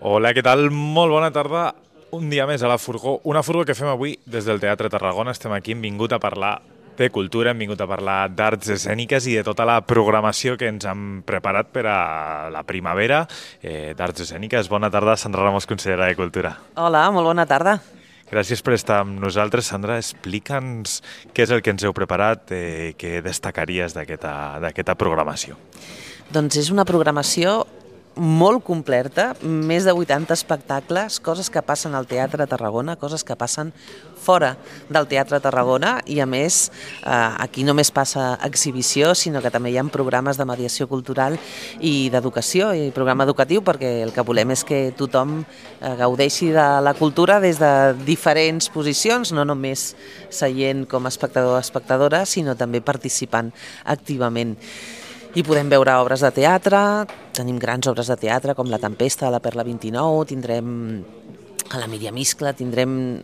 Hola, què tal? Molt bona tarda. Un dia més a la Furgó. Una Furgó que fem avui des del Teatre Tarragona. Estem aquí, hem vingut a parlar de cultura, hem vingut a parlar d'arts escèniques i de tota la programació que ens han preparat per a la primavera d'arts escèniques. Bona tarda, Sandra Ramos, consellera de Cultura. Hola, molt bona tarda. Gràcies per estar amb nosaltres. Sandra, explica'ns què és el que ens heu preparat, què destacaries d'aquesta programació. Doncs és una programació molt completa, més de 80 espectacles, coses que passen al Teatre Tarragona, coses que passen fora del Teatre Tarragona i a més aquí només passa exhibició, sinó que també hi ha programes de mediació cultural i d'educació i programa educatiu, perquè el que volem és que tothom gaudeixi de la cultura des de diferents posicions, no només seient com a espectador o espectadora, sinó també participant activament. I podem veure obres de teatre, tenim grans obres de teatre com La Tempesta de la Perla 29, tindrem a la Míriam Iscla, tindrem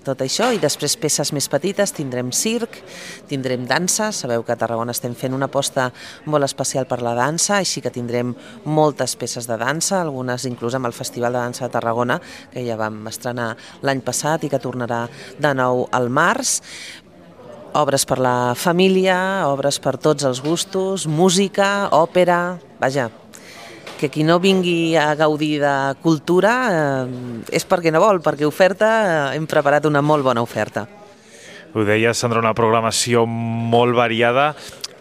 tot això i després peces més petites, tindrem circ, tindrem dansa, sabeu que a Tarragona estem fent una aposta molt especial per la dansa, així que tindrem moltes peces de dansa, algunes inclús amb el Festival de Dansa de Tarragona, que ja vam estrenar l'any passat i que tornarà de nou al març. Obres per la família, obres per tots els gustos, música, òpera, vaja, que qui no vingui a gaudir de cultura és perquè no vol, perquè hem preparat una molt bona oferta. Ho deies, Sandra, una programació molt variada,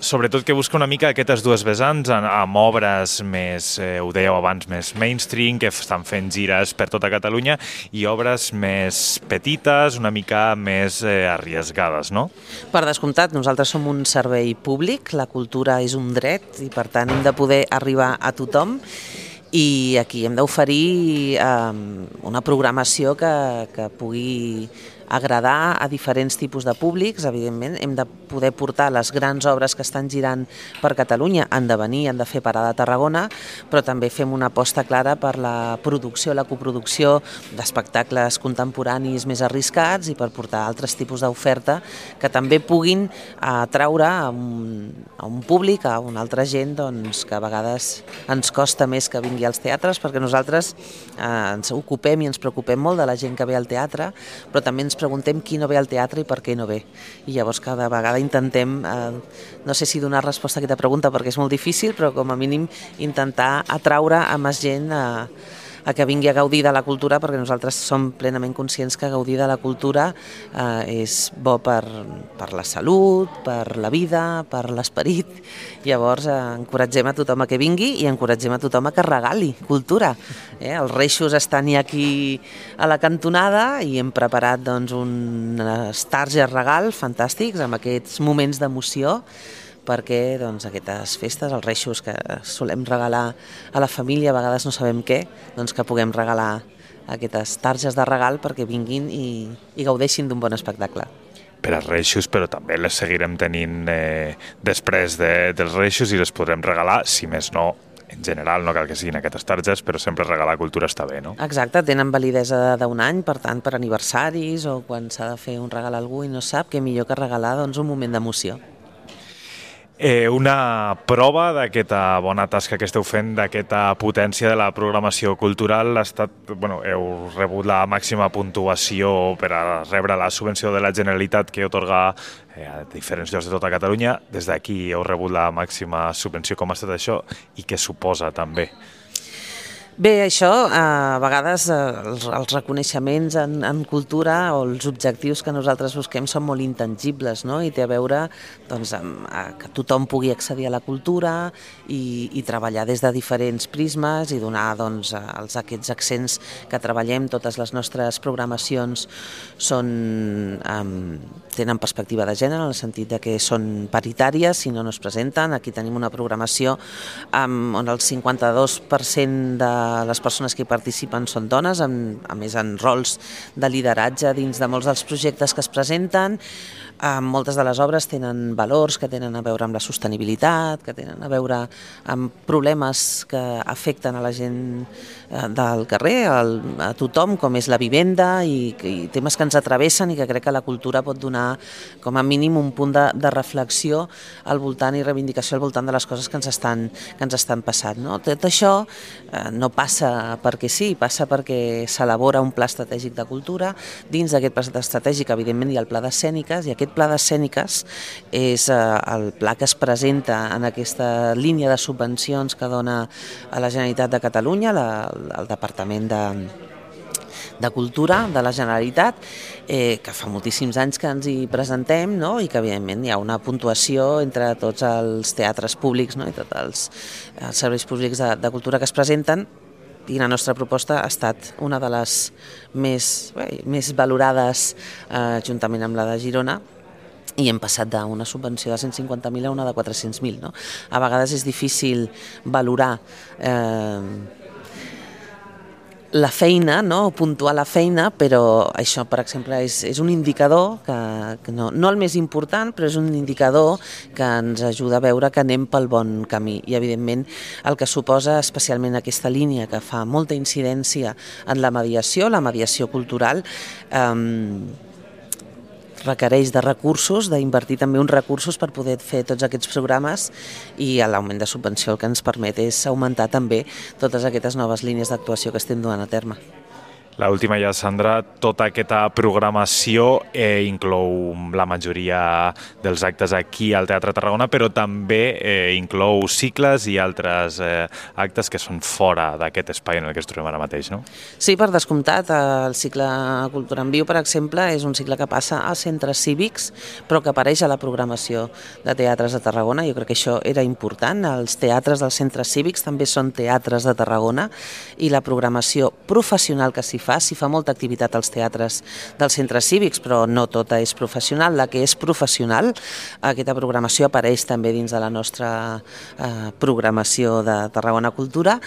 sobretot que busca una mica aquestes dues vessants amb obres més, ho dèieu abans, més mainstream, que estan fent gires per tota Catalunya, i obres més petites, una mica més arriesgades, no? Per descomptat, nosaltres som un servei públic, la cultura és un dret i per tant hem de poder arribar a tothom i aquí hem d'oferir una programació que pugui agradar a diferents tipus de públics. Evidentment, hem de poder portar les grans obres que estan girant per Catalunya, han de venir, han de fer parada a Tarragona, però també fem una aposta clara per la producció, la coproducció d'espectacles contemporanis més arriscats i per portar altres tipus d'oferta que també puguin atraure a un públic, a una altra gent que a vegades ens costa més que vingui als teatres, perquè nosaltres ens ocupem i ens preocupem molt de la gent que ve al teatre, però també ens preguntem qui no ve al teatre i per què no ve. I llavors cada vegada intentem, no sé si donar resposta a aquesta pregunta perquè és molt difícil, però com a mínim intentar atraure a més gent a que vingui a gaudir de la cultura, perquè nosaltres som plenament conscients que gaudir de la cultura és bo per la salut, per la vida, per l'esperit. Llavors encoratgem a tothom a que vingui i encoratgem a tothom a que regali cultura. Els reixos estan aquí a la cantonada i hem preparat uns targes regal fantàstics amb aquests moments d'emoció perquè aquestes festes, els reixos que solem regalar a la família, a vegades no sabem què, que puguem regalar aquestes targes de regal perquè vinguin i gaudeixin d'un bon espectacle. Per als reixos, però també les seguirem tenint després dels reixos i les podrem regalar, si més no, en general, no cal que siguin aquestes targes, però sempre regalar cultura està bé, no? Exacte, tenen validesa d'un any, per tant, per aniversaris o quan s'ha de fer un regal a algú i no sap, què millor que regalar un moment d'emoció. Una prova d'aquesta bona tasca que esteu fent, d'aquesta potència de la programació cultural ha estat, heu rebut la màxima puntuació per a rebre la subvenció de la Generalitat que atorga a diferents llocs de tota Catalunya. Des d'aquí heu rebut la màxima subvenció. Com ha estat això i què suposa també? Bé, això, a vegades els reconeixements en cultura o els objectius que nosaltres busquem són molt intangibles, no? I té a veure que tothom pugui accedir a la cultura i treballar des de diferents prismes i donar aquests accents que treballem. Totes les nostres programacions tenen perspectiva de gènere, en el sentit que són paritàries, si no es presenten. Aquí tenim una programació on el 52% de les persones que hi participen són dones, a més en rols de lideratge dins de molts dels projectes que es presenten. Moltes de les obres tenen valors que tenen a veure amb la sostenibilitat, que tenen a veure amb problemes que afecten a la gent del carrer, a tothom, com és la vivenda i temes que ens atravessen i que crec que la cultura pot donar com a mínim un punt de reflexió al voltant i reivindicació al voltant de les coses que ens estan passant. No? Tot això no passa perquè sí, passa perquè s'elabora un pla estratègic de cultura. Dins d'aquest pla estratègic, evidentment, hi ha el pla d'escèniques, i aquest pla d'escèniques és el pla que es presenta en aquesta línia de subvencions que dona a la Generalitat de Catalunya, el Departament de Cultura de la Generalitat, que fa moltíssims anys que ens hi presentem, no? I que evidentment hi ha una puntuació entre tots els teatres públics, no? I tots els serveis públics de cultura que es presenten, i la nostra proposta ha estat una de les més valorades juntament amb la de Girona, i hem passat d'una subvenció de 150.000 a una de 400.000. No? A vegades és difícil valorar la feina, no? Puntuar la feina, però això, per exemple, és un indicador que no el més important, però és un indicador que ens ajuda a veure que anem pel bon camí. I, evidentment, el que suposa especialment aquesta línia que fa molta incidència en la mediació cultural, requereix de recursos, d'invertir també uns recursos per poder fer tots aquests programes, i l'augment de subvenció el que ens permet és augmentar també totes aquestes noves línies d'actuació que estem duent a terme. L'última ja, Sandra, tota aquesta programació inclou la majoria dels actes aquí al Teatre Tarragona, però també inclou cicles i altres actes que són fora d'aquest espai en el que ens trobem ara mateix, no? Sí, per descomptat. El cicle Cultura en Viu, per exemple, és un cicle que passa als centres cívics, però que apareix a la programació de teatres de Tarragona. Jo crec que això era important. Els teatres dels centres cívics també són teatres de Tarragona, i la programació professional que s'hi fa molta activitat als teatres dels centres cívics, però no tota és professional. La que és professional, aquesta programació apareix també dins de la nostra programació de Tarragona Cultura.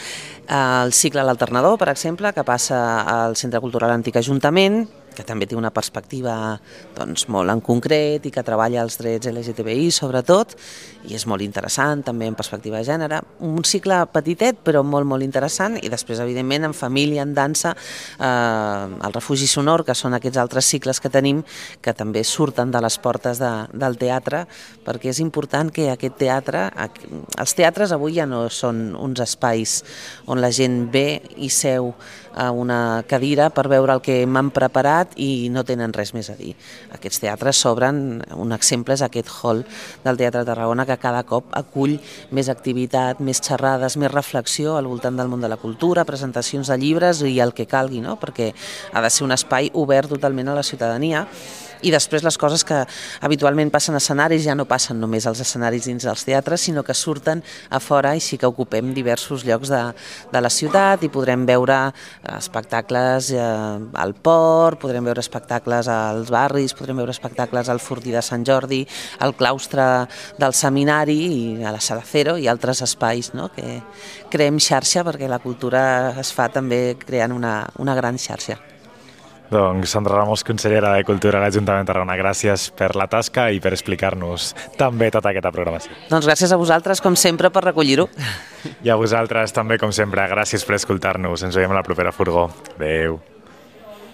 El cicle L'Alternador, per exemple, que passa al Centre Cultural Antic Ajuntament, que també té una perspectiva molt en concret i que treballa els drets LGTBI sobretot, i és molt interessant també en perspectiva de gènere. Un cicle petitet però molt interessant, i després evidentment en família, en dansa, el Refugi Sonor, que són aquests altres cicles que tenim que també surten de les portes del teatre, perquè és important que aquest teatre, els teatres avui ja no són uns espais on la gent ve i seu a una cadira per veure el que m'han preparat i no tenen res més a dir. Aquests teatres s'obren, un exemple és aquest hall del Teatre de Tarragona, que cada cop acull més activitat, més xerrades, més reflexió al voltant del món de la cultura, presentacions de llibres i el que calgui, no? Perquè ha de ser un espai obert totalment a la ciutadania. I després les coses que habitualment passen a escenaris ja no passen només als escenaris dins dels teatres, sinó que surten a fora, i sí que ocupem diversos llocs de la ciutat, i podrem veure espectacles al port, podrem veure espectacles als barris, podrem veure espectacles al Fortí de Sant Jordi, al claustre del seminari i a la Sala Cero i altres espais, no? Que creem xarxa, perquè la cultura es fa també creant una gran xarxa. Doncs Sandra Ramos, consellera de Cultura a l'Ajuntament de Tarragona, gràcies per la tasca i per explicar-nos també tota aquesta programació. Doncs gràcies a vosaltres, com sempre, per recollir-ho. I a vosaltres també, com sempre, gràcies per escoltar-nos. Ens veiem a la propera furgó. Adéu.